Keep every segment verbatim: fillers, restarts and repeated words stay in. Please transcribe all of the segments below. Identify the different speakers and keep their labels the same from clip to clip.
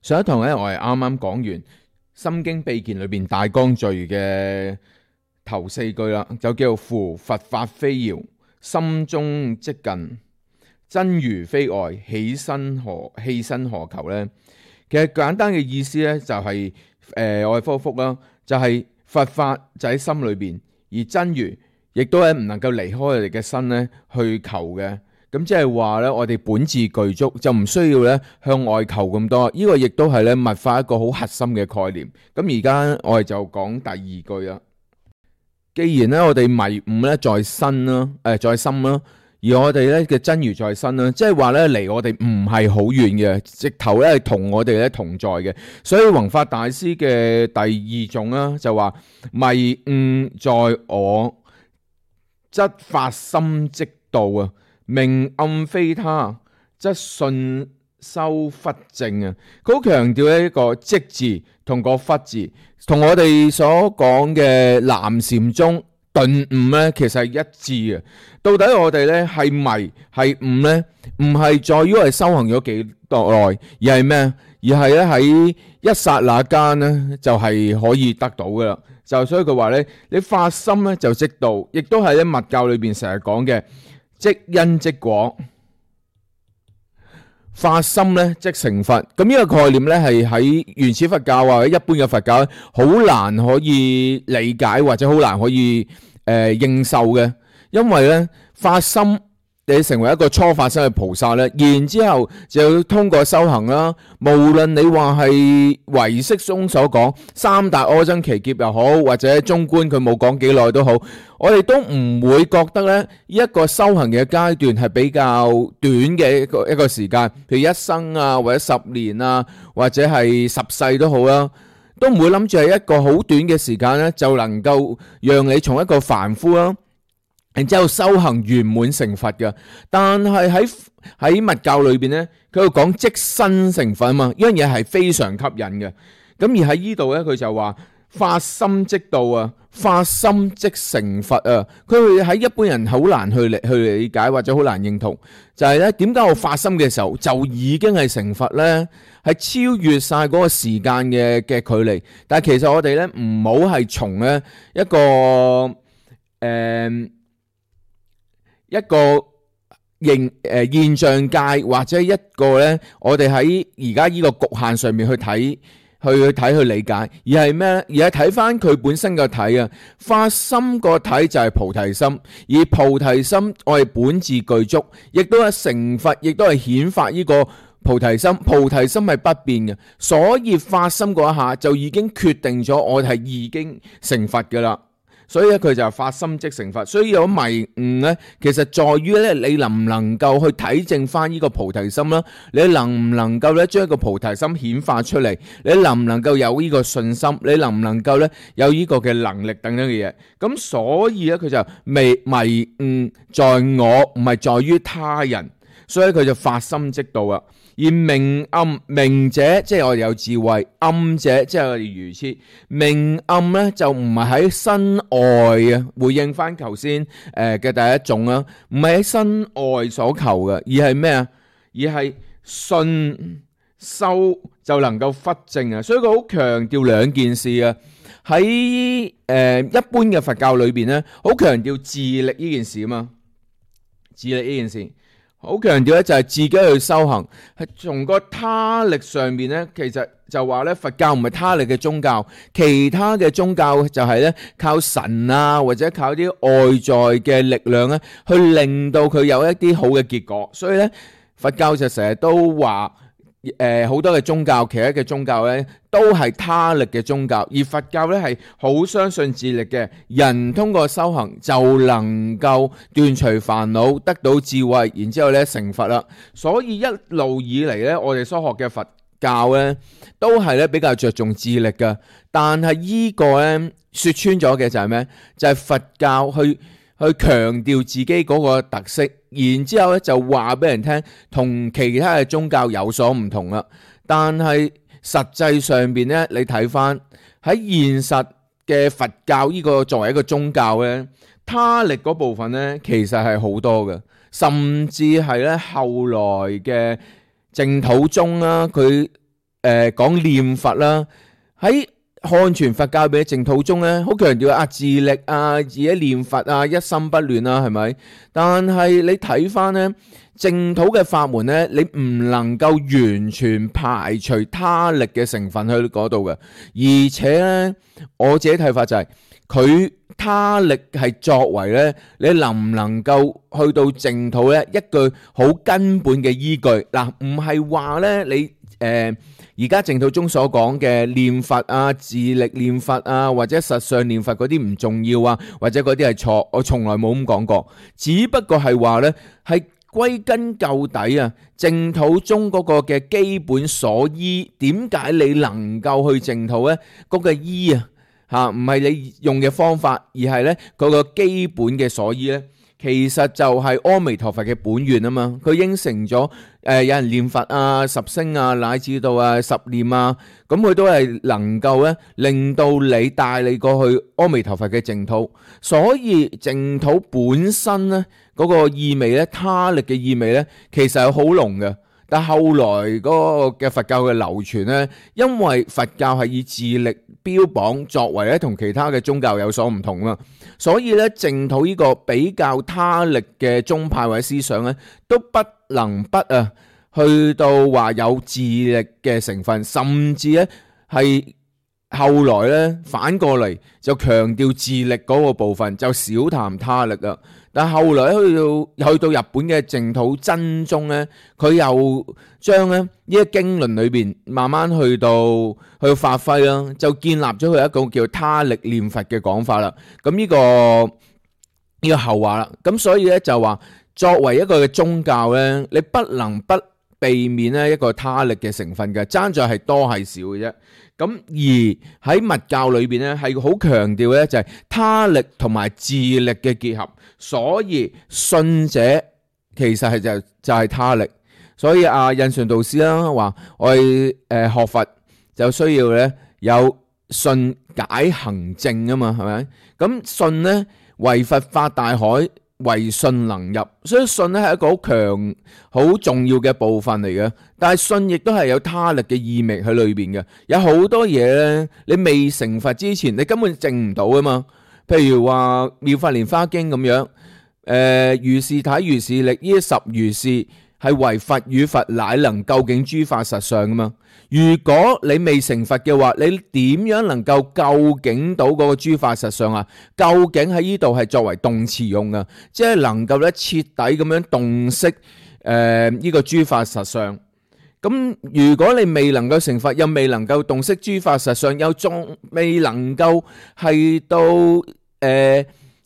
Speaker 1: 上一堂咧，我係啱啱講完《心經秘笈》裏邊大綱序嘅頭四句啦，就叫做夫佛法非遙，心中即近，真如非外，起身何犧牲何求呢？其實簡單嘅意思咧就係、是、誒、呃，我哋復復啦，就係、是、佛法就喺心裏邊，而真如亦都係唔能夠離開我哋嘅身咧去求嘅。咁即係話咧，我哋本自具足，就唔需要咧向外求咁多。呢個亦都係咧密法一個好核心嘅概念。咁而家我哋就講第二句啦。既然咧我哋迷悟咧在身啦，誒在心啦，而我哋咧嘅真如在身啦，即係話咧離我哋唔係好遠嘅，直頭咧係同我哋咧同在嘅。所以弘法大師嘅第二種啦，就話迷悟在我，則發心即到啊。明暗非他，則信修忽正啊！佢好強調咧一個即字同個忽字，同我哋所講嘅南禪宗頓悟咧，其實係一致嘅。到底我哋咧係迷係悟咧，唔係在於我哋修行咗幾耐，而係咩？而係咧喺一剎那間咧，就係可以得到噶啦。就所以佢話咧，你發心咧就即到，亦都係喺密教裏邊成日講嘅。即因即果，發心咧即成佛。咁呢個概念咧係喺原始佛教或者一般嘅佛教好難可以理解或者好難可以誒、呃、認受嘅，因為咧發心你成為一個初發生嘅菩薩咧，然之後就要通過修行啦。無論你話係唯識中所講三大阿僧祇劫又好，或者中觀佢冇講幾耐都好，我哋都唔會覺得咧呢一個修行嘅階段係比較短嘅一個一個時間，譬如一生啊，或者十年啊，或者係十世都好啦，都唔會諗住係一個好短嘅時間咧就能夠讓你從一個凡夫啦。然之後修行圓滿成佛嘅，但係喺喺密教裏邊咧，佢又講即身成佛啊嘛，呢樣嘢係非常吸引嘅。咁而喺呢度咧，佢就話發心即到啊，發心即成佛啊。佢喺一般人好難去理去理解或者好難認同，就係咧點解我發心嘅時候就已經係成佛咧？係超越晒嗰個時間嘅嘅距離。但係其實我哋咧唔好係從咧一個誒。呃一個現誒現象界或者一個咧，我哋喺而家呢個局限上面去睇，去去睇去理解，而係咩咧？而係睇翻佢本身個體啊，發心個體就係菩提心，而菩提心我哋本自具足，亦都係成佛，亦都係顯發呢個菩提心。菩提心係不變嘅，所以發心嗰一下就已經決定咗我哋係已經成佛噶啦。所以咧，佢就發心即成佛。所以有迷悟咧，其實在於咧，你能唔能夠去體證翻呢個菩提心啦？你能唔能夠咧將一個菩提心顯化出嚟？你能唔能夠有呢個信心？你能唔能夠咧有呢個嘅能力等等嘅嘢？咁所以咧，佢就迷迷悟在我，唔係在於他人。所以佢就發心即到啊。而明暗，明者即係我哋有智慧，暗者即係我哋愚痴。明暗咧就唔係喺身外啊，回應翻頭先誒嘅第一種啊，唔係喺身外所求嘅，而係咩啊？而係信修就能夠忽正啊。所以佢好強調兩件事啊。喺誒、呃、一般嘅佛教裏邊咧，好強調自力呢件事啊嘛，自力呢件事。好強調咧，就係自己去修行，係從個他力上面咧，其實就話咧，佛教唔係他力嘅宗教，其他嘅宗教就係咧靠神啊，或者靠啲外在嘅力量咧，去令到佢有一啲好嘅結果。所以咧，佛教就成日都話，誒好多嘅宗教，其他嘅宗教咧都係他力嘅宗教，而佛教咧係好相信自力嘅。人通過修行就能夠斷除煩惱，得到智慧，然之後咧成佛啦。所以一路以嚟咧，我哋所學嘅佛教咧都係咧比較着重智力嘅。但係依個咧說穿咗嘅就係咩？就係佛教去去強調自己嗰個特色，然之後咧就話俾人聽，同其他嘅宗教有所唔同啦。但係實際上邊咧，你睇翻喺現實嘅佛教呢個作為一個宗教咧，他力嗰部分咧，其實係好多嘅，甚至係咧後來嘅淨土宗啦，佢誒講念佛啦，喺漢傳佛教嘅淨土中咧，好強調啊自力啊，自己念佛啊，一心不亂啊，係咪？但係你睇翻咧淨土嘅法門咧，你唔能夠完全排除他力嘅成分去嗰度嘅，而且咧我自己睇法就係、是、佢他力係作為咧，你能唔能夠去到淨土咧一句好根本嘅依據嗱，唔係話咧你誒。而家淨土中所講嘅念佛啊、自力念佛啊，或者實相念佛嗰啲唔重要啊，或者嗰啲係錯，我從來冇咁講過。只不過係話呢，係歸根究底啊，淨土中嗰個嘅基本所依，點解你能夠去淨土呢？嗰、嗰個依啊，嚇唔係你用嘅方法，而係呢嗰個基本嘅所依呢。其實就係阿彌陀佛嘅本願啊嘛，佢應承咗誒、呃、有人念佛啊、十聲啊，乃至到啊十念啊，咁佢都係能夠咧令到你帶你過去阿彌陀佛嘅淨土，所以淨土本身咧嗰、那個意味咧，他力嘅意味咧，其實係好濃嘅。但後來嗰個嘅佛教嘅流傳咧，因為佛教係以自力標榜作為咧，同其他嘅宗教有所唔同啊，所以咧淨土呢個比較他力嘅宗派或者思想咧，都不能不啊去到話有自力嘅成分，甚至咧係後來咧反過嚟就強調自力嗰個部分，就少談他力啊。但係後來去到去到日本嘅淨土真宗咧，佢又將咧呢一經論裏邊慢慢去到去到發揮啦，就建立咗佢一個叫他力念佛嘅講法啦。咁呢個呢個後話啦，咁所以咧就話作為一個嘅宗教咧，你不能不避免咧一個他力嘅成分嘅，爭在係多係少嘅啫。咁而喺密教裏邊咧，係好強調咧就係他力同埋自力嘅結合，所以信者其實係就就係他力。所以阿印順導師啦話，我哋誒學佛就需要咧有信解行證啊嘛，係咪？咁信咧為佛發大海，為信能入，所以信咧係一個好強、好重要嘅部分嚟嘅。但係信亦都係有他力嘅意味喺裏邊嘅。有好多嘢咧，你未成佛之前，你根本證唔到啊嘛。譬如話《妙法蓮華經》咁樣，誒、呃、如是體如是力，呢十如是係為佛與佛乃能究竟諸法實相噶嘛。如果你未成佛嘅話，你點樣能夠究竟到嗰個諸法實相啊？究竟喺呢度係作為動詞用啊，即係能夠咧徹底咁樣洞悉誒呢個諸法實相。咁如果你未能夠成佛，又未能夠洞悉諸法實相，又仲未能夠係到誒、呃、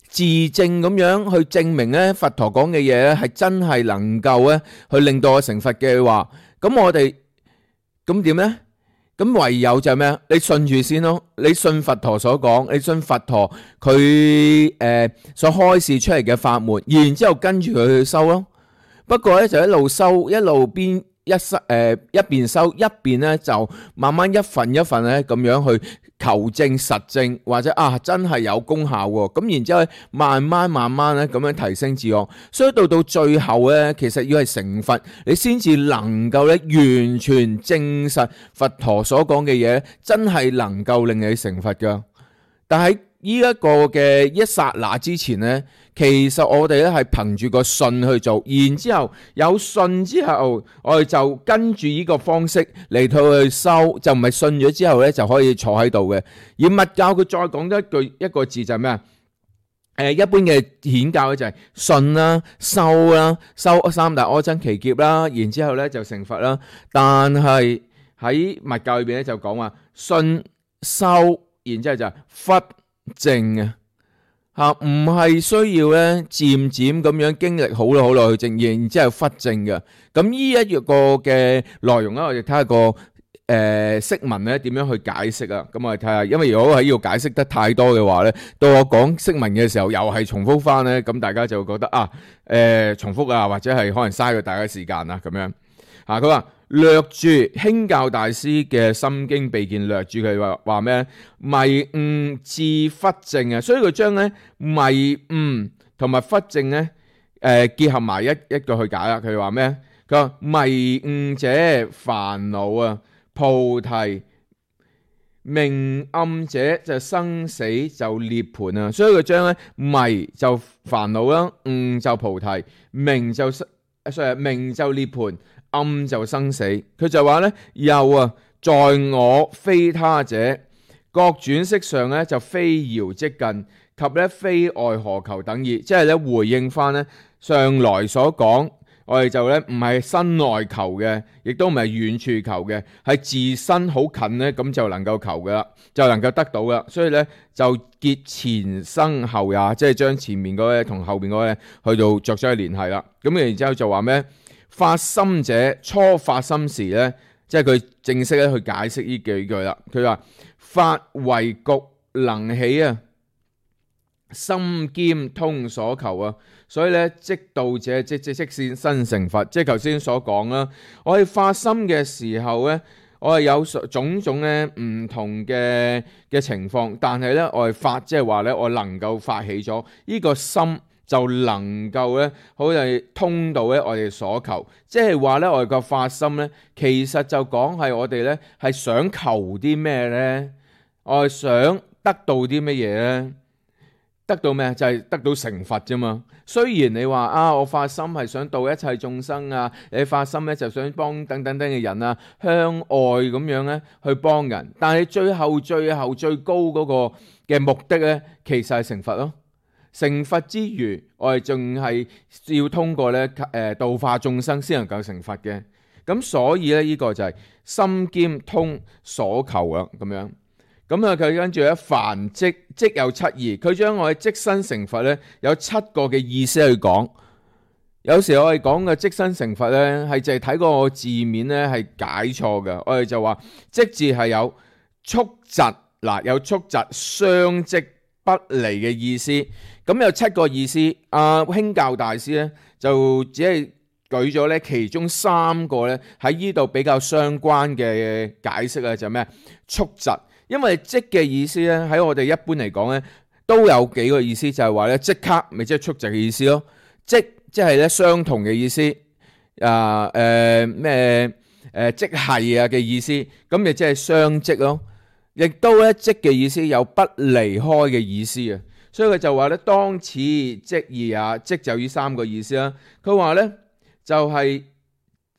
Speaker 1: 自證咁樣去證明咧佛陀講嘅嘢咧係真係能夠咧去令到我成佛嘅話，咁我哋咁點呢？咁唯有就係咩？你信住先咯，你信佛陀所講，你信佛陀佢誒、呃、所開示出嚟嘅法門，然之後跟住佢去修咯。不過咧就一路修，一路邊一修誒一邊修，一邊咧就慢慢一份一份咧咁樣去求證實證，或者啊真係有功效喎。咁然之後慢慢慢慢咧咁樣提升自我，所以到到最後咧，其實要係成佛，你先至能夠咧完全證實佛陀所講嘅嘢，真係能夠令你成佛噶。但係呢一個嘅一剎那之前咧，其實我哋咧係憑住個信去做，然之後有信之後，我哋就跟住呢個方式嚟到去修，就唔係信咗之後咧就可以坐喺度嘅。而密教佢再講多一句一個字就係咩啊？誒，一般嘅顯教咧就係信啦、修啦、修三大阿僧祇劫啦，然之後咧就成佛啦。但係喺密教裏邊咧就講話信、修，然之後就係忽證啊。吓，唔係需要咧漸漸咁樣經歷好耐好耐去證，然之後忽證嘅。咁呢一個嘅內容咧，我哋睇下個誒釋文咧點樣去解釋啊。咁我哋睇下，因為如果喺呢度解釋得太多嘅話咧，到我講釋文嘅時候又係重複翻咧，咁大家就會覺得啊，誒、呃、重複啊，或者係可能嘥咗大家時間啊咁樣。啊，佢話略注興教大師嘅心經秘見略注，佢話話咩？迷悟至忽證啊，所以佢將咧迷悟同埋忽證咧誒結合埋一一個去解啦。佢話咩？佢話迷悟者煩惱啊，菩提。明暗者就生死就涅槃啊，所以佢將咧迷就煩惱啦，悟就菩提，明就誒明就涅槃，暗就生死。佢就話咧又啊，在我非他者，各轉色上咧就非遙即近，及咧非愛何求等義，即係咧回應翻咧上來所講。我哋就咧唔係身內求嘅，亦都唔係遠處求嘅，係自身好近咧，咁就能夠求噶啦，就能夠得到噶。所以咧就結前生後也，即係將前面嗰個同後面嗰個去到作咗個聯繫啦。咁然之後就話咩？發心者初發心時咧，即係佢正式咧去解釋呢幾句啦。佢話發為局能起啊，心兼通所求啊。所以咧，即道者即即即先生成佛，即係頭先所講啦。我哋發心嘅時候咧，我係有種種咧唔同嘅嘅情況，但係咧我係發，即係話咧我能夠發起咗呢個心，就能夠咧好似通到咧我哋所求，即係話咧我哋個發心咧，其實就講係我哋咧係想求啲咩咧，我係想得到啲乜嘢咧？得到咩？就係、是、得到成佛啫嘛。雖然你話啊，我發心係想度一切眾生啊，你發心咧就想幫等等等嘅人啊，向外咁樣咧去幫人，但係最後最後最高嗰個嘅目的咧，其實係成佛咯。成佛之餘，我哋仲係要通過咧誒度化眾生先能夠成佛嘅。咁所以咧呢、這個就係心兼通所求啊，咁樣。咁啊，佢跟住咧，凡即即有七義，佢將我哋即身成佛咧，有七個嘅意思去講。有時我哋講嘅即身成佛咧，係淨係睇個字面咧係解錯嘅。我哋就話即字係有速疾嗱，有速疾相即不離嘅意思。咁有七個意思，阿興教大師咧就只係舉咗咧其中三個咧喺呢度比較相關嘅解釋啊，就係咩？速疾。因為即嘅意思咧，喺我哋一般嚟講咧，都有幾個意思，就係話咧即刻，咪即係速疾嘅意思咯。即即係咧相同嘅意思，啊誒咩誒即係啊嘅意思，咁咪即係相即咯。亦都咧即嘅意思有不離開嘅意思啊。所以佢就話咧當此即義啊，即就呢三個意思啦。佢話咧就係、是。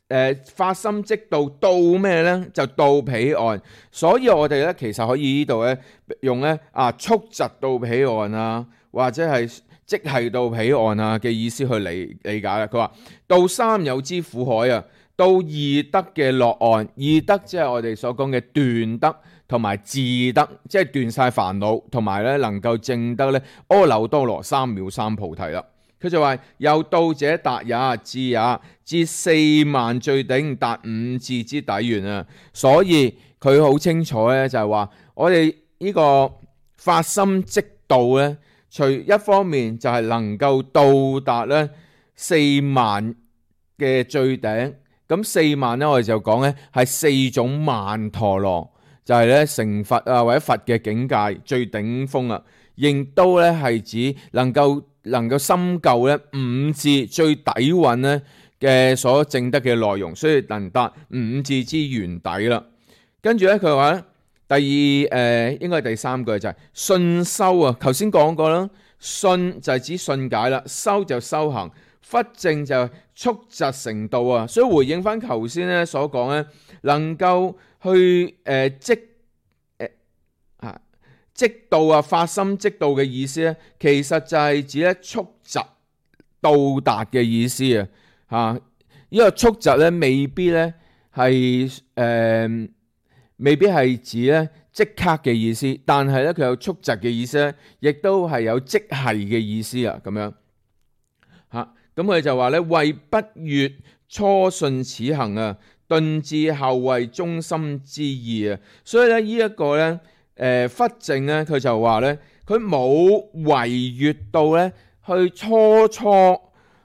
Speaker 1: 誒、呃，發心即到到咩咧？就到彼岸，所以我哋咧其實可以呢度咧用咧啊速疾到彼岸啊，或者係即係到彼岸啊嘅意思去理理解啦。佢話到三有之苦海啊，到二德嘅樂岸，二德即係我哋所講嘅斷德同埋自德，即係斷晒煩惱，同埋咧能夠證得咧阿耨多羅三藐三菩提啦。佢就話又到者達也，至也，至四萬最頂，達五智之底緣啊！所以佢好清楚咧，就係話我哋呢個發心即到咧，除一方面就係能夠到達咧四萬嘅最頂，咁四萬咧我哋就講咧係四種曼陀羅，就係咧成佛啊或者佛嘅境界最頂峰啊，亦都咧係指能夠。能夠深究咧五智最底蘊咧嘅所證得嘅內容，所以能達五智之原底啦。跟住咧佢話咧第二誒、呃、應該係第三句就係信修啊。頭先講過啦，信就係指信解啦，修就修行，忽正就速疾成道啊。所以回應翻頭先咧所講咧，能夠去誒、呃、即。即到啊，發心即到嘅意思咧，其實就係指咧速疾到達嘅意思啊！嚇，呢個速疾咧未必咧係誒，未必係指咧即刻嘅意思，但係咧佢有速疾嘅意思咧，亦都係有即係嘅意思啊！咁樣嚇，咁佢就話咧為不越初信此行啊，頓至後為中心之意啊！所以咧呢一個咧。誒忽正咧，佢就話咧，佢冇違越到咧去初初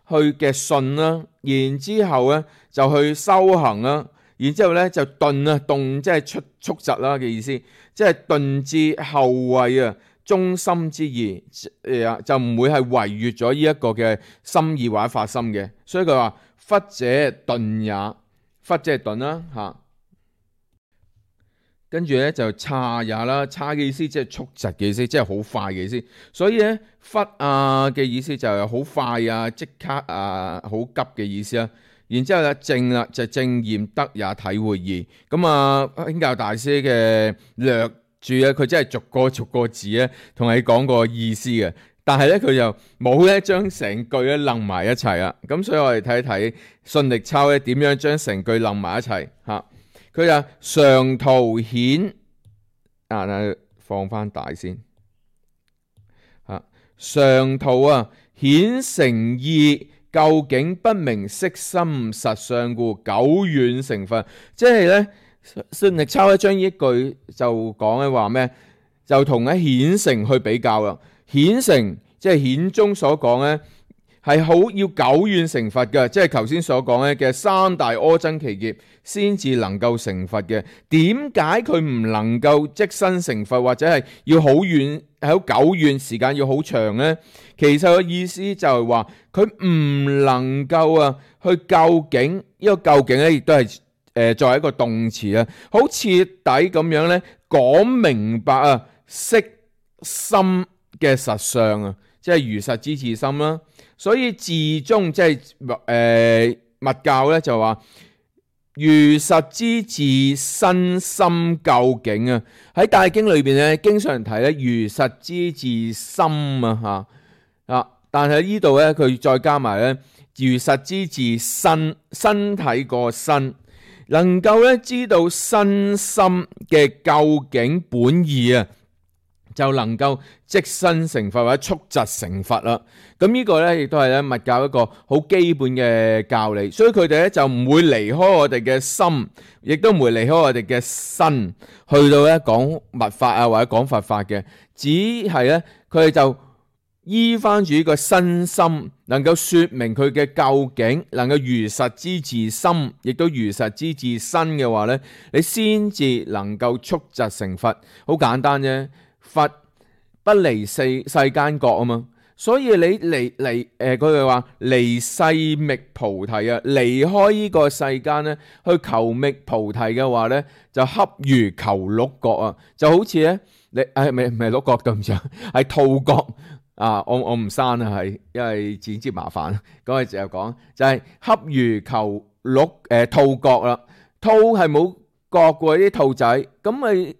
Speaker 1: 去嘅信啦，然之後咧就去修行啦，然之後咧就頓啊，頓即係出速疾啦嘅意思，即係頓至後位啊，中心之意誒就唔會係違越咗呢一個嘅心意或者發心嘅，所以佢話忽者頓也，忽即係頓啦嚇。跟住咧就差也啦，差嘅意思即係速疾嘅意思，即係好快嘅意思。所以咧忽啊嘅意思就係好快啊，即刻啊，好急嘅意思啊。然之後咧正啦就正驗得也體會義。咁啊興教大師嘅略注咧，佢真係逐個逐個字咧同你講個意思嘅。但係咧佢就冇咧將成句咧楞埋一齊啊。咁所以我哋睇一睇信力抄咧點樣將成句楞埋一齊嚇。佢就常圖顯啊，放翻大先嚇。常圖啊顯成義，究竟不明色心實相故，久遠成佛。即係咧信力抄咧將呢一句就講咧話咩？就同咧顯成去比較啦。顯成即係顯宗所講咧，係好要久遠成佛嘅，即係頭先所講咧嘅三大阿僧祇劫先至能夠成佛嘅。點解佢唔能夠即身成佛，或者係要好遠，係好久遠時間要好長呢？其實個意思就係話佢唔能夠啊去究竟，呢個究竟咧亦都係誒作為一個動詞啊，好徹底咁樣咧講明白啊色心嘅實相啊，即係如實之自心啦。所以自宗即係誒密教咧就話如實之自身心究竟啊。喺大經裏邊咧經常提咧如實之自心啊吓啊，但係呢度咧佢再加埋咧如實之自身，身體個身，能夠咧知道身心嘅究竟本意啊，就能夠即身成佛或者速疾成佛啦。咁呢個咧亦都係咧密教一個好基本嘅教理，所以佢哋咧就唔會離開我哋嘅心，亦都唔會離開我哋嘅身，去到咧講密法啊或者講佛法嘅，只係咧佢哋就依翻住呢個身心，能夠說明佢嘅究竟，能夠如實之自心，亦都如實之自身嘅話咧，你先至能夠速疾成佛。好簡單啫。佛不離世世間覺啊嘛，所以你離離誒，佢哋話離世覓菩提啊，離開呢個世間咧，去求覓菩提嘅話咧，就恰如求鹿角啊，就好似咧你誒，唔係唔係鹿角咁長，係兔角啊，我我唔刪啊，係因為剪接麻煩，咁我就講就係恰如求鹿誒兔角啦，兔係冇角嘅啲兔仔，咁咪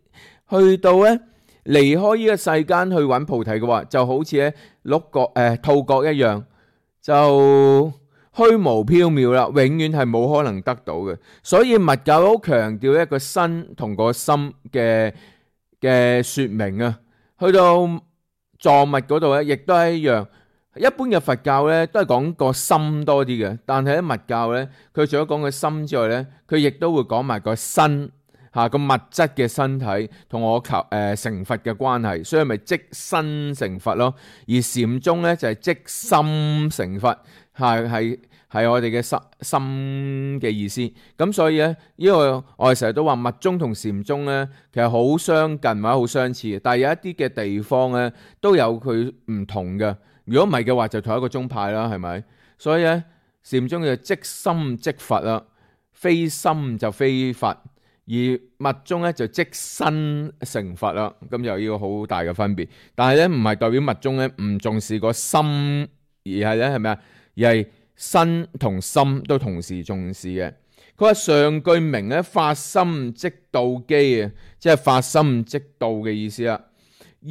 Speaker 1: 去到咧。離開呢個世間去揾菩提嘅話，就好似咧鹿角誒兔角一樣，就虛無縹緲啦，永遠係冇可能得到嘅。所以密教好強調一個身同個心嘅嘅說明啊。去到藏密嗰度咧，亦都係一樣。一般嘅佛教咧都係講個心多啲嘅，但係喺密教咧，佢除咗講個心之外咧，佢亦都會講埋個身。吓個物質嘅身體同我求誒、呃、成佛嘅關係，所以咪即身成佛咯。而禪宗咧就係、是、即心成佛，係係係我哋嘅心心嘅意思。咁所以咧，呢個我哋成日都話密宗同禪宗咧，其實好相近或者好相似，但係有一啲嘅地方咧都有佢唔同嘅。如果唔係嘅話，就同一個宗派啦，係咪？所以咧，禪宗就即心即佛啦，非心就非佛。而密宗咧就即身成佛啦，咁有呢個好大嘅分別。但係咧唔係代表密宗咧唔重視個心，而係咧係咪啊？而係身同心都同時重視嘅。佢話上句明咧發心即道機啊，即係發心即道嘅意思啦。二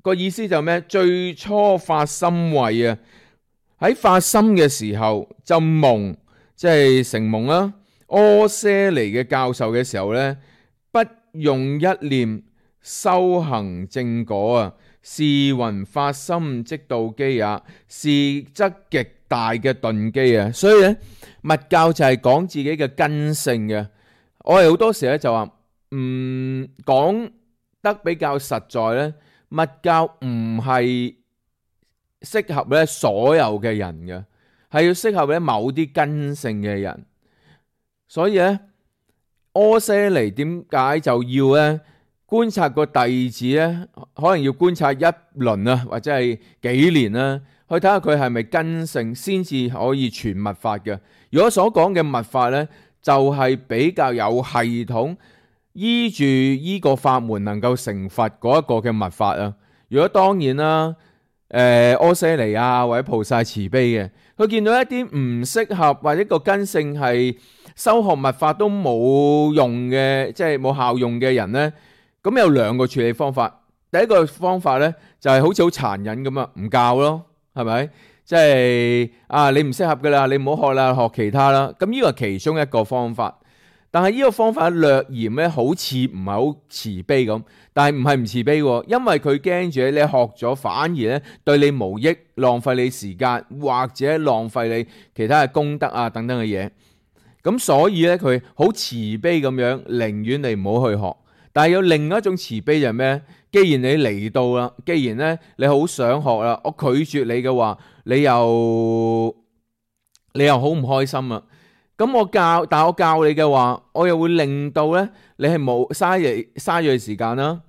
Speaker 1: 個意思就咩？最初發心慧啊，喺發心嘅時候就蒙，即係成蒙啦。阿闍黎嘅教授嘅時候咧，不用一念修行正果啊，是云發心即道機也，是則極大嘅頓機啊。所以咧，密教就係講自己嘅根性嘅。我哋好多時咧就話，唔講得比較實在咧，密教唔係適合咧所有嘅人嘅，係要適合咧某啲根性嘅人。所以咧，阿闍黎點解就要咧觀察個弟子咧？可能要觀察一輪啊，或者係幾年啦，去睇下佢係咪根性，先至可以傳密法嘅。如果所講嘅密法咧，就係比較有系統，依住依個法門能夠成佛嗰一個嘅密法啊。如果當然啦，誒阿闍黎啊或者菩薩慈悲嘅，佢見到一啲唔適合或者個根性係修學密法都冇用嘅，即係冇效用嘅人呢，咁有兩個處理方法。第一個方法呢，就係好似好殘忍咁啊，唔教咯，係咪？即係啊，你唔適合噶啦，你唔好學啦，學其他啦。咁呢個係其中一個方法。但係呢個方法略嫌咧，好似唔係好慈悲咁，但係唔係唔慈悲喎，因為佢驚住你學咗反而咧對你無益，浪費你時間或者浪費你其他嘅功德啊等等嘅嘢。咁所以咧佢好慈悲咁樣，寧願你唔好去學。但係有另一種慈悲就係咩？既然你嚟到啦，既然咧你好想學啦，我拒絕你嘅話，你又你又好唔開心啊！咁我教，但係我教你嘅話，我又會令到咧你係冇嘥嘢嘥咗時間啦，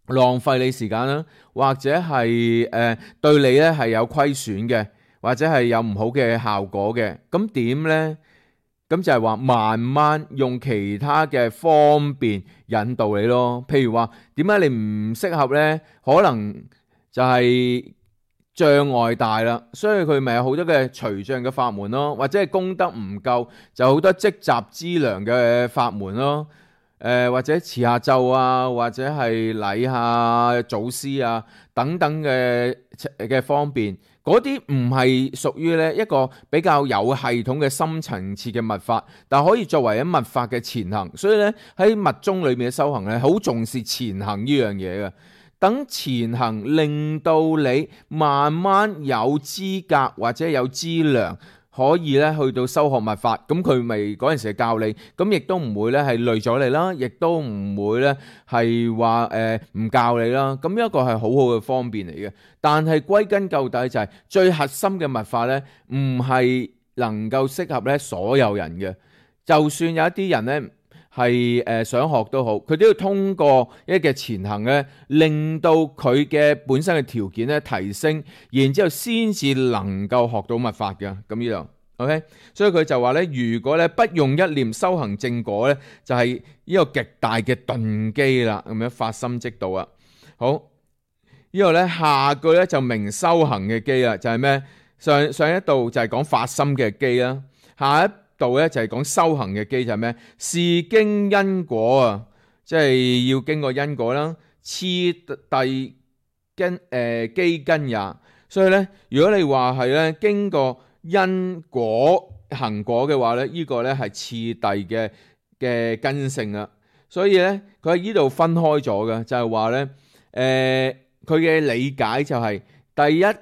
Speaker 1: 浪費你時間啦，或者係誒、呃、對你咧係有虧損嘅，或者係有唔好嘅效果嘅。咁點咧？咁就係話慢慢用其他嘅方便引導你咯。譬如話點解你唔適合呢？可能就係障礙大啦，所以佢咪有好多嘅除障嘅法門咯，或者係功德唔夠就好多積集資糧嘅法門咯。誒、呃、或者持下咒啊，或者係禮下祖師啊等等嘅嘅方便。嗰啲唔係屬於咧一個比較有系統嘅深層次嘅密法，但可以作為一密法嘅前行。所以咧喺密宗裏面嘅修行咧，好重視前行呢樣嘢嘅。等前行令到你慢慢有資格或者有資糧，可以咧去到修學密法。咁佢咪嗰陣時教你，咁亦都唔會咧係累咗你啦，亦都唔會咧係話誒唔教你啦。咁一個係好好嘅方便嚟嘅。但係歸根究底就係最核心嘅密法咧，唔係能夠適合咧所有人嘅。就算有一啲人咧係誒想學都好，佢都要通過一嘅前行咧，令到佢嘅本身嘅條件咧提升，然之後先至能夠學到密法嘅。咁呢度 OK， 所以佢就話咧，如果咧不用一念修行正果咧，就係呢個極大嘅頓機啦，咁樣發心即道啊。好。呢度咧下句咧就明修行嘅機啦，就係咩？上上一度就係講發心嘅機啦，下一度咧就係講修行嘅機，就係咩？是經因果啊，即係要經過因果啦，次第根誒機根也。所以咧，如果你話係咧經過因果行果嘅話咧，呢個咧係次第嘅嘅根性啦。所以咧，佢喺呢度分開咗嘅，就係話咧誒。佢嘅理解就係、是、第一二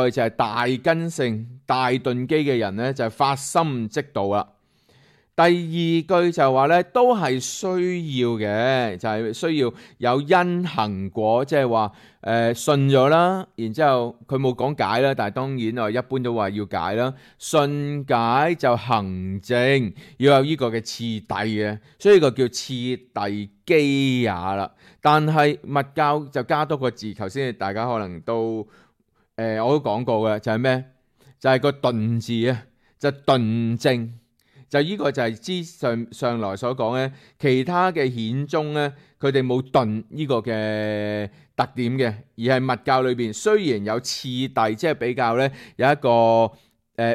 Speaker 1: 句就係大根性大頓機嘅人咧就係發心即道啦。第二句就話咧都係需要嘅，就係、是、需要有因行果，即係話誒信咗啦，然之後佢冇講解啦，但係當然我一般都話要解啦。信解就行證，要有呢個嘅次第嘅，所以呢個叫次第機也啦。但係密教就加多個字，頭先大家可能都誒、呃、我都講過嘅，就係咩？就係、是、個頓字啊，就頓證。就呢個就係之上上來所講咧，其他嘅顯宗咧，佢哋冇頓呢個嘅特點嘅，而係密教裏邊雖然有次第，即係比較咧有一個誒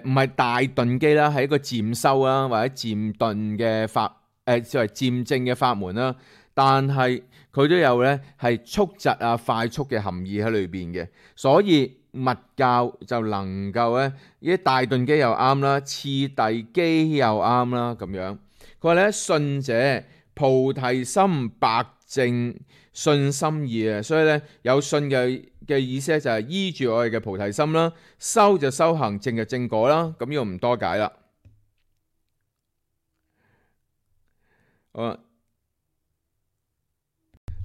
Speaker 1: 唔係大頓機啦，係一個漸修啦或者漸頓嘅法誒，作為漸證嘅法門啦，但係佢都有咧係速疾啊快速嘅含義喺裏邊嘅，所以密教就能夠咧，呢啲大頓機又啱啦，次第機又啱啦，咁樣。佢話咧，信者菩提心白淨信心意啊，所以咧有信嘅嘅意思咧就係依住我哋嘅菩提心啦，修就修行，證就證果啦。咁呢個唔多解啦。好啦，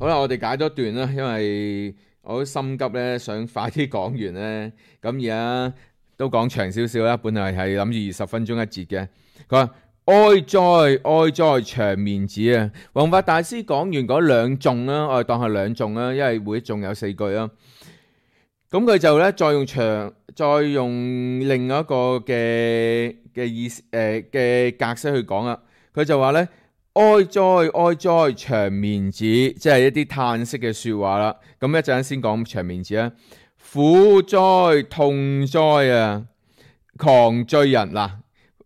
Speaker 1: 好啦，我哋解多段啦，因為我都心急咧，想快啲講完咧。咁而家都講長少少啦，本來係諗住二十分鐘一節嘅。佢話哀哉哀哉長面子啊！弘法大師講完嗰兩頌啦，我哋當係兩頌啦，因為每一頌有四句啦。咁佢就咧再用長，再用另一個嘅嘅意思誒嘅格式去講啦。佢就話咧。哀哉哀哉長眠子，即係一啲嘆息嘅說話啦。咁一陣先講長眠子啊。苦哉痛哉啊，狂醉人嗱，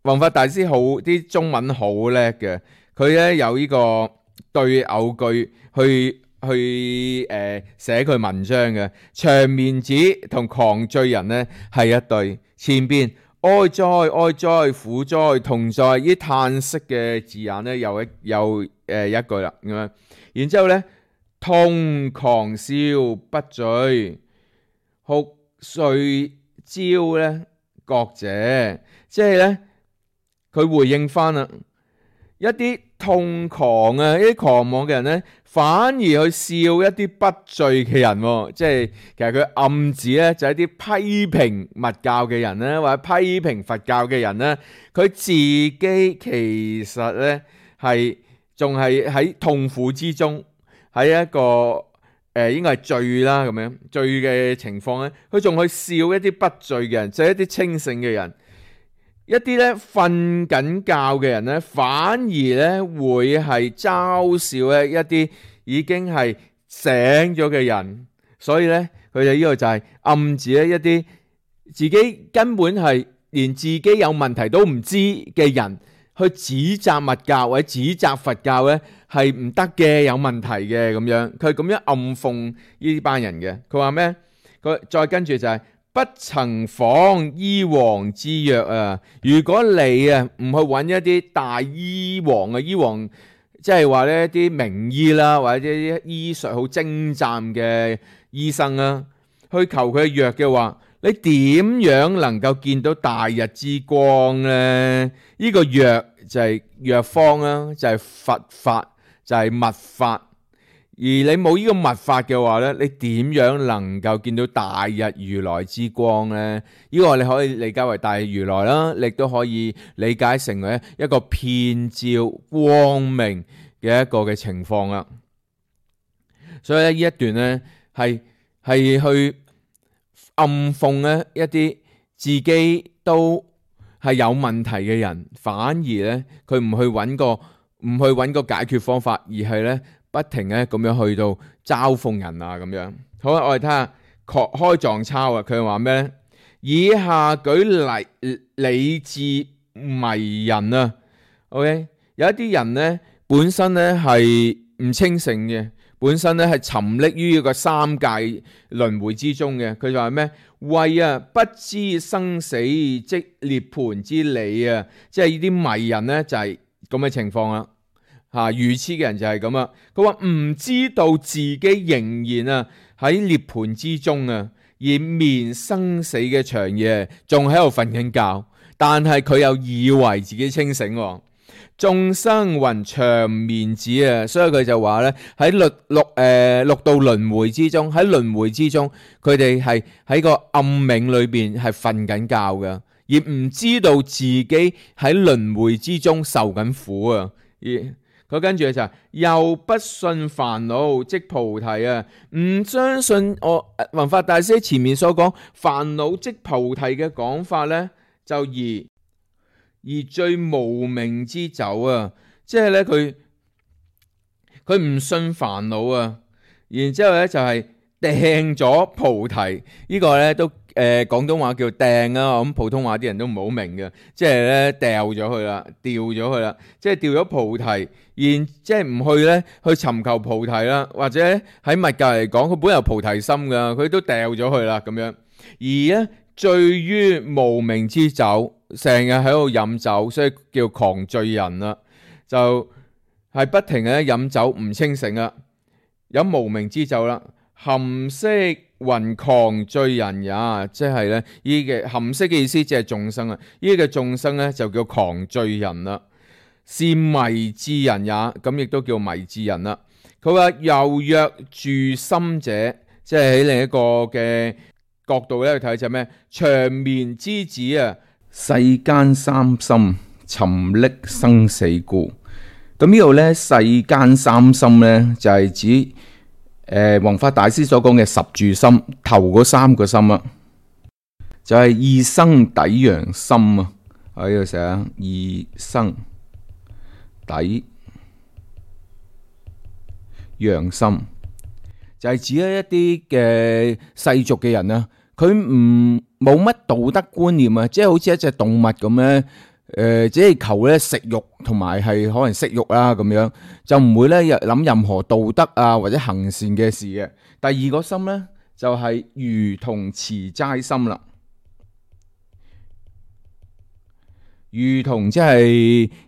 Speaker 1: 弘法大師好啲中文好叻嘅，佢咧有呢個對偶句去去誒寫佢文章嘅。長眠子同狂醉人咧係一對，前邊哀哉哀哉苦哉痛哉呢嘆息嘅字眼咧有一有誒、呃、一句啦咁樣，然之後咧痛狂笑不醉，哭睡朝咧覺者，即係咧佢回應翻啦，一啲痛狂啊，一啲狂妄嘅人咧，反而去笑一啲不醉嘅人，即係其實佢暗指咧就係一啲批評密教嘅人咧，或者批評佛教嘅人咧，佢自己其實咧係仲係喺痛苦之中，喺一個誒、呃、應該係醉啦咁樣醉嘅情況咧，佢仲去笑一啲不醉嘅人，就係、一啲清醒嘅人。一啲咧瞓緊覺嘅人咧，反而咧會係嘲笑咧一啲已經係醒咗嘅人，所以咧佢哋呢個就係暗指咧一啲自己根本係連自己有問題都唔知嘅人，去指責密教或者指責佛教咧係唔得嘅，有問題嘅咁樣，佢咁樣暗諷呢班人嘅。佢話咩？佢再跟住就係、是。不曾訪醫王之藥啊！如果你啊唔去揾一啲大醫王啊，醫王即係話呢啲名醫啦，或者啲醫術好精湛嘅醫生啊，去求佢嘅藥嘅話，你點樣能夠見到大日之光呢？呢、這個藥就係藥方啦，就係、是、佛法，就係、是、密法。而你冇呢個密法嘅話咧，你點樣能夠見到大日如來之光呢？呢、這個你可以理解為大日如來啦，你都可以理解成為一個遍照光明嘅一個嘅情況啦。所以咧呢一段咧係係去暗諷咧一啲自己都係有問題嘅人，反而咧佢唔去揾個唔去揾個解決方法，而係咧。不停咧咁樣去到嘲諷人啊咁樣。好啦，我哋睇下開藏抄啊，佢話咩咧？以下舉例理智迷人啊。OK， 有一啲人咧本身咧係唔清醒嘅，本身咧係沉溺於一個三界輪迴之中嘅。佢就話咩？為啊不知生死即涅槃之理啊，即係呢啲迷人咧就係咁嘅情況啦。吓，愚痴嘅人就係咁啊！佢話唔知道自己仍然啊喺涅槃之中啊，而眠生死嘅長夜，仲喺度瞓緊覺，但係佢又以為自己清醒。眾生云長眠子啊，所以佢就話咧喺六六誒六道輪迴之中，喺輪迴之中，佢哋係喺個暗冥裏邊係瞓緊覺嘅，而唔知道自己喺輪迴之中受緊苦啊！而佢跟住就係又不信煩惱即菩提啊！唔相信我弘法大師前面所講煩惱即菩提嘅講法咧，就而而醉無明之酒啊！即係咧佢佢唔信煩惱啊，然之後咧就係掟咗菩提，這個、呢個咧都。誒、呃、廣東話叫掟啊，咁普通話啲人都唔好明嘅，即係咧掉咗佢啦，掉咗佢啦，即係掉咗菩提，然即係唔去咧去尋求菩提啦，或者喺密教嚟講，佢本有菩提心噶，佢都掉咗佢啦咁樣。而咧醉於無明之酒，成日喺度飲酒，所以叫狂醉人啦，就係、是、不停嘅飲酒唔清醒啦，飲無明之酒啦，含識云狂醉人也，即係咧呢嘅含識嘅意思，即係眾生啊！呢嘅眾生咧就叫狂醉人啦，是迷智人也，咁亦都叫迷智人啦。佢話又若住心者，即係喺另一個嘅角度咧去睇就係咩？長眠之子啊，世間三心沉溺生死故。咁呢度咧世間三心咧就係指。誒，弘法大師所講嘅十住心，頭嗰三個心啊，就係、是、異生抵陽心啊，喺度寫異生抵陽心，就係指一啲嘅世俗嘅人啊，佢唔冇乜道德觀念啊，即係好似一隻動物咁咧。誒、呃，只係求咧食肉同埋係可能色欲啦咁樣，就唔會咧諗任何道德啊或者行善嘅事嘅。第二個心咧就係、是、如同持齋心啦，如同即係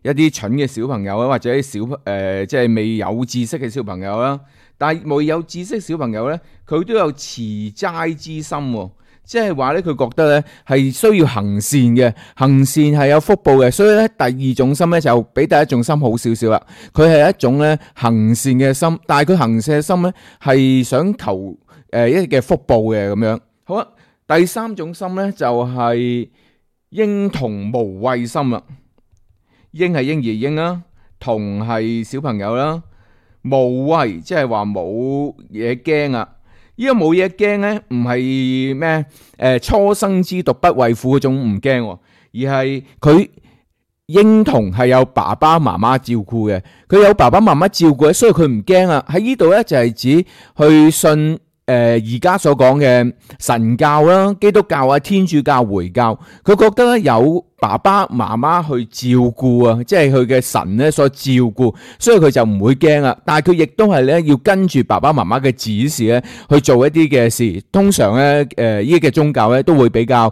Speaker 1: 一啲蠢嘅小朋友啊，或者啲小誒即係未有知識嘅小朋友啦。但係未有知識小朋友咧，佢都有持齋之心喎。即係話咧，佢覺得咧係需要行善嘅，行善係有福報嘅，所以咧第二種心咧就比第一種心好少少啦。佢係一種咧行善嘅心，但係佢行善嘅心咧係想求誒、呃、一啲嘅福報嘅咁樣。好啦，第三種心咧就係嬰童無畏心啦。嬰係嬰兒嬰啦，童係小朋友啦，無畏即係話冇嘢驚啊。呢個冇嘢驚咧，唔係咩誒初生之犢不畏虎嗰種唔驚，而係佢嬰童係有爸爸媽媽照顧嘅，佢有爸爸媽媽照顧，所以佢唔驚啊。喺呢度咧就係指去信誒而家所講嘅神教啦、基督教啊、天主教、回教，佢覺得咧有爸爸媽媽去照顧啊，即係佢嘅神咧所照顧，所以佢就唔會驚啊。但係佢亦都係咧要跟住爸爸媽媽嘅指示咧去做一啲嘅事。通常咧誒呢啲嘅宗教咧都會比較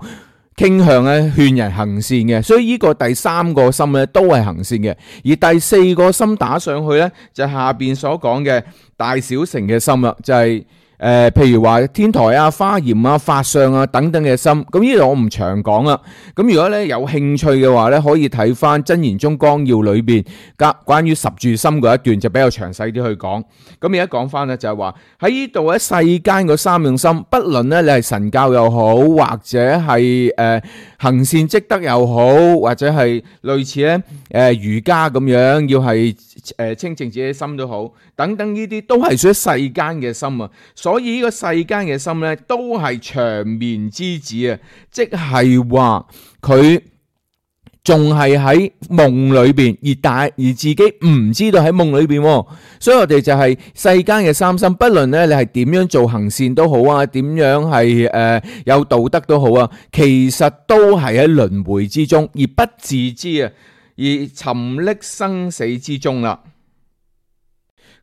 Speaker 1: 傾向咧勸人行善嘅，所以呢個第三個心咧都係行善嘅。而第四個心打上去咧就係下邊所講嘅大小乘嘅心啦，就係、是。誒、呃，譬如話天台啊、華嚴啊、法相啊等等嘅心，咁呢度我唔長講啦。咁如果咧有興趣嘅話咧，可以睇翻《真言宗綱要》裏邊關關於十住心嗰一段，就比較詳細啲去講。咁而家講翻咧就係話喺呢度喺世間嗰三樣心，不論咧你係神教又好，或者係誒、呃、行善積德又好，或者係類似咧誒儒家咁樣，要係誒清淨自己心都好，等等呢啲都係屬於世間嘅心啊。所以呢個世間嘅心咧，都係長眠之子啊！即係話佢仲係喺夢裏邊，而大而自己唔知道喺夢裏邊。所以我哋就係世間嘅三心，不論咧你係點樣做行善都好啊，點樣係誒、呃、有道德都好啊，其實都係喺輪迴之中而不自知啊，而沉溺生死之中啦。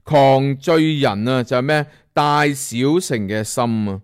Speaker 1: 狂醉人啊，就係咩？大小乘嘅心啊，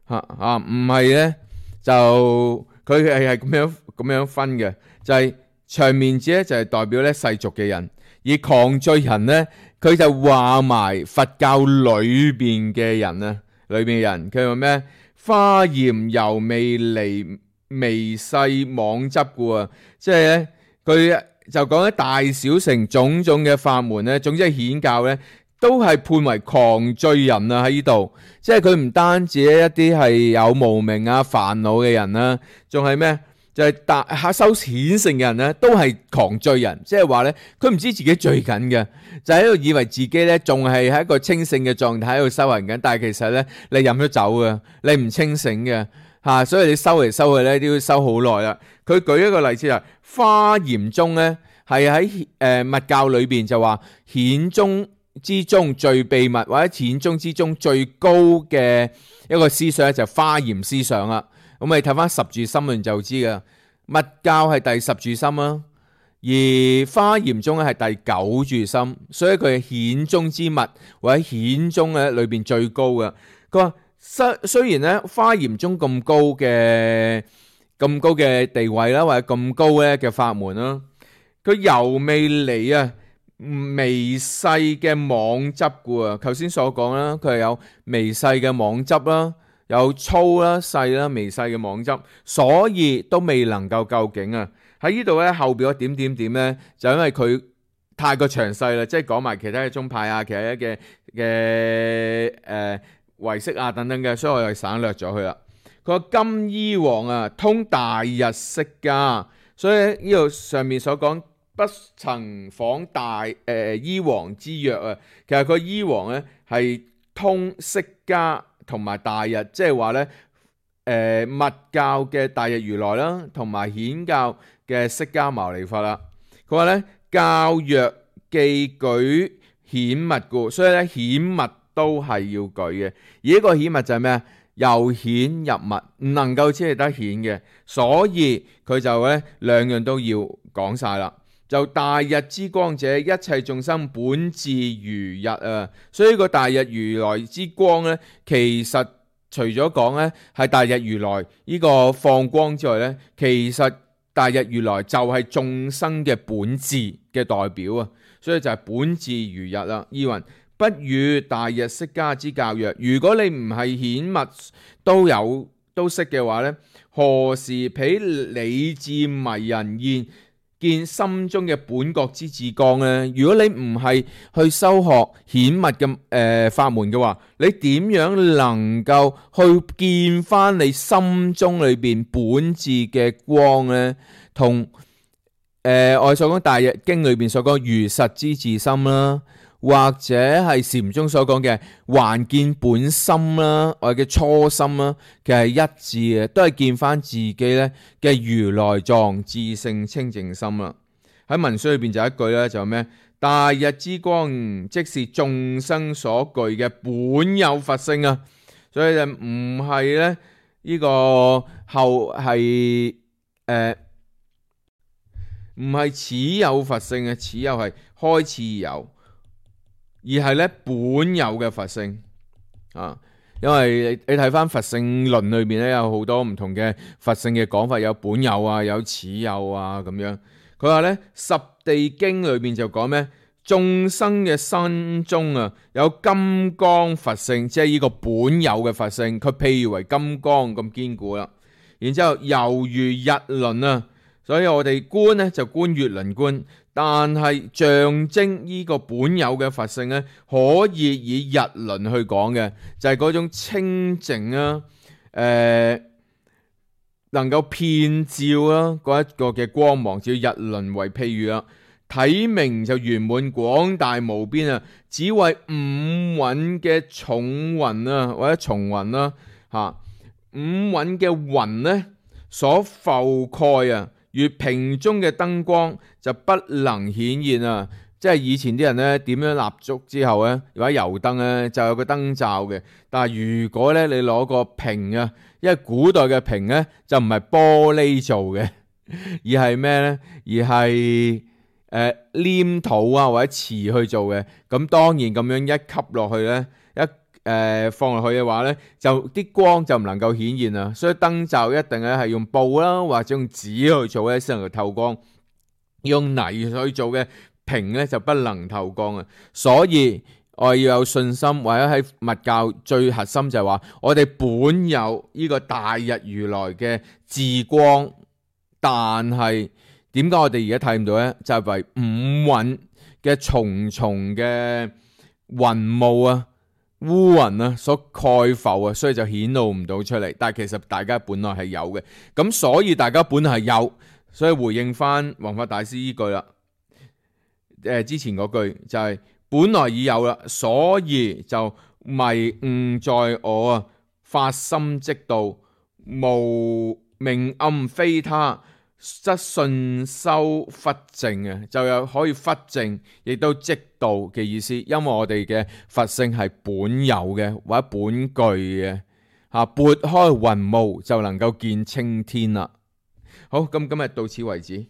Speaker 1: 吓啊，唔係咧就佢係係咁樣咁樣分嘅，就係、是、長眠子咧就係代表咧世俗嘅人，而狂醉人咧佢就話埋佛教裏邊嘅人啊，裏邊嘅人佢話咩？華嚴猶未離微細妄執故啊，即係咧佢就講喺大小乘種種嘅法門咧，總之係顯教咧。都係判為狂醉人啊！喺呢度，即係佢唔單止一啲係有無明啊、煩惱嘅人啦，仲係咩？就係大下修顯性嘅人咧，都係狂醉人。即係話咧，佢唔知自己醉緊嘅，就喺度以為自己咧仲係喺一個清醒嘅狀態喺度修行緊，但係其實咧你飲咗酒嘅，你唔清醒嘅吓，所以你修嚟修去咧都要修好耐啦。佢舉一個例子啊，華嚴宗咧係喺誒密教裏邊就話顯宗之中最秘密或者顯宗之中最高嘅一個思想咧就係華嚴思想啦。咁你睇翻十住心論就知噶，密教係第十住心啦，而華嚴宗咧係第九住心，所以佢係顯宗之密或者顯宗咧裏邊最高嘅。佢話雖雖然咧華嚴宗咁高嘅咁高嘅地位啦，或者咁高咧嘅法門啦，佢猶未離啊微細嘅妄執故啊，頭先所講啦，佢係有微細嘅妄執啦，有粗啦、細啦、微細嘅妄執，所以都未能夠究竟啊。喺呢度咧後邊嗰點點點咧，就因為佢太過詳細啦，即係講埋其他嘅宗派啊，其他嘅嘅誒唯識啊等等嘅，所以我又省略咗佢啦。佢話金衣王啊，通大日釋迦，所以呢度上面所講。不曾訪大誒、呃、醫王之約啊，其實個醫王咧係通釋迦同埋大日，即係話咧誒密教嘅大日如來啦，同埋顯教嘅釋迦牟尼佛啦。佢話咧教若記舉顯密故，所以咧顯密都係要舉嘅。而呢個顯密就係咩啊？由顯入密，唔能夠只係得顯嘅，所以佢就咧兩樣都要講晒啦。就大日之光者，一切眾生本自如日啊！所以個大日如來之光咧，其實除咗講咧係大日如來呢個放光之外咧，其實大日如來就係眾生嘅本自嘅代表啊！所以就係本自如日啦。依云不與大日釋迦之教曰：如果你唔係顯密都有都識嘅話咧，何時彼理智迷人現見心中嘅本覺之自光咧？如果你唔係去修學顯密嘅誒法門嘅話，你點樣能夠去見翻你心中裏邊本自嘅光咧？同誒、呃、我哋所講大日經裏邊所講如實之自心啦，或者係禪宗所講嘅還見本心啦，我哋嘅初心啦，其實係一致嘅，都係見翻自己咧嘅如來藏自性清淨心啦。喺文書裏邊就一句咧，就咩？大日之光即是眾生所具嘅本有佛性啊，所以就唔係咧呢個後係誒唔係此有佛性嘅，此有係開始有。而係咧本有嘅佛性啊，因為你睇翻佛性論裏面咧有好多唔同嘅佛性嘅講法，有本有啊，有此有啊咁樣。佢話咧十地經裏面就講咩？眾生嘅身中啊有金剛佛性，即係呢個本有嘅佛性，佢譬如為金剛咁堅固啦。然之後猶如日輪啊，所以我哋觀咧就觀月輪觀。但係象徵呢個本有嘅佛性咧，可以以日輪去講嘅，就係、是、嗰種清淨啊，誒、呃，能夠遍照啊嗰一個嘅光芒，就以日輪為譬如啦。體明就圓滿廣大無邊啊，只為五蘊嘅重雲啊，或者重雲啦吓，五蘊嘅雲咧所覆蓋啊。如瓶中嘅燈光就不能顯現啊！即係以前啲人咧點樣蠟燭之後咧，或者油燈咧就有個燈罩嘅。但係如果咧你攞個瓶啊，因為古代嘅瓶咧就唔係玻璃做嘅，而係咩咧？而係誒、呃、黏土啊或者瓷去做嘅。咁當然咁樣一吸落去咧，一誒、呃、放落去嘅話咧，就啲光就唔能夠顯現啦。所以燈罩一定咧係用布啦，或者用紙去做咧先能夠透光。用泥去做嘅瓶咧就不能透光啊。所以我要有信心，或者喺密教最核心就係話，我哋本有呢個大日如來嘅自光，但係點解我哋而家睇唔到咧？就係、是、為五蘊嘅重重嘅雲霧啊、烏雲啊所蓋浮啊，所以就顯露唔到出嚟。但係其實大家本來係有嘅，咁所以大家本來係有，所以回應翻弘法大師呢句啦。誒、呃，之前嗰句就係、是、本來已有啦，所以就迷誤在我啊，發心即道，無明暗非他，則信修忽證啊，就有可以忽證，亦都即道嘅意思。因為我哋嘅佛性係本有嘅或者本具嘅，吓撥開雲霧就能夠見青天啦。好，咁今日到此為止。